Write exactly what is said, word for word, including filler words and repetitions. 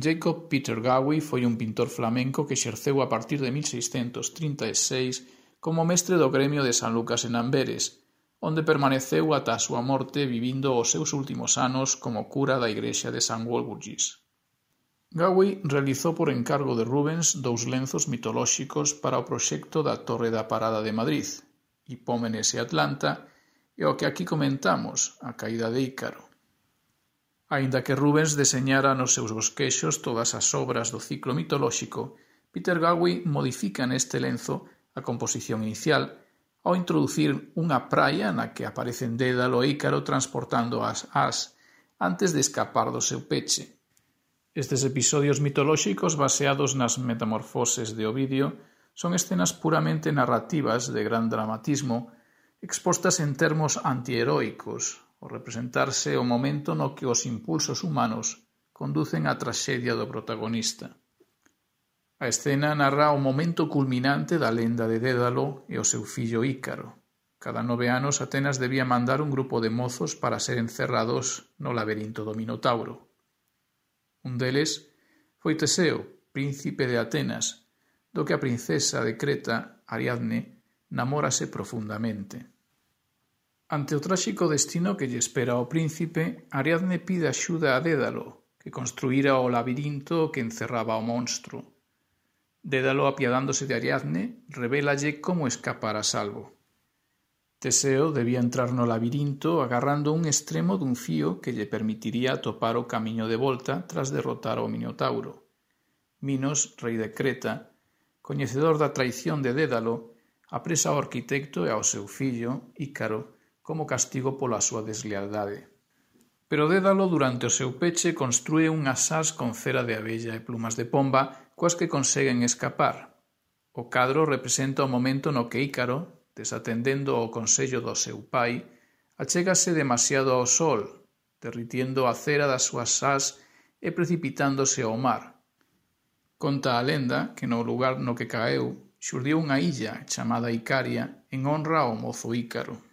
Jacob Peter Gawi foi un pintor flamenco que exerceu a partir de mil seiscentos trinta e seis como mestre do gremio de San Lucas en Amberes, onde permaneceu ata a súa morte vivindo os seus últimos anos como cura da igrexa de San Walburgis. Gawi realizou por encargo de Rubens dous lenzos mitolóxicos para o proxecto da Torre da Parada de Madrid, Hipómenes e Atlanta, e o que aquí comentamos, a caída de Ícaro. Aínda que Rubens deseñara nos seus bosquexos todas as obras do ciclo mitolóxico, Peter Gawi modifica neste lenzo a composición inicial ao introducir unha praia na que aparecen Dédalo e Ícaro transportando as as antes de escapar do seu peche. Estes episodios mitolóxicos baseados nas Metamorfoses de Ovidio son escenas puramente narrativas de gran dramatismo expostas en termos antiheroicos, ao representarse o momento no que os impulsos humanos conducen á traxedia do protagonista. A escena narra o momento culminante da lenda de Dédalo e o seu fillo Ícaro. Cada nove anos Atenas debía mandar un grupo de mozos para ser encerrados no laberinto do Minotauro. Un deles foi Teseo, príncipe de Atenas, do que a princesa de Creta, Ariadne, namórase profundamente. Ante o tráxico destino que lle espera ao príncipe, Ariadne pide axuda a Dédalo, que construíra o labirinto que encerraba o monstro. Dédalo, apiadándose de Ariadne, revélalle como escapar a salvo. Teseo debía entrar no labirinto agarrando un extremo dun fío que lle permitiría atopar o camiño de volta tras derrotar ao Minotauro. Minos, rei de Creta, coñecedor da traición de Dédalo, apresa ao arquitecto e ao seu fillo, Ícaro, como castigo pola súa deslealdade. Pero Dédalo, durante o seu peche, construe unhas ás con cera de abella e plumas de pomba, coas que conseguen escapar. O cadro representa o momento no que Ícaro, desatendendo o consello do seu pai, achégase demasiado ao sol, derritiendo a cera das súas ás e precipitándose ao mar. Conta a lenda que no lugar no que caeu xurdiu unha illa chamada Icaria en honra ao mozo Ícaro.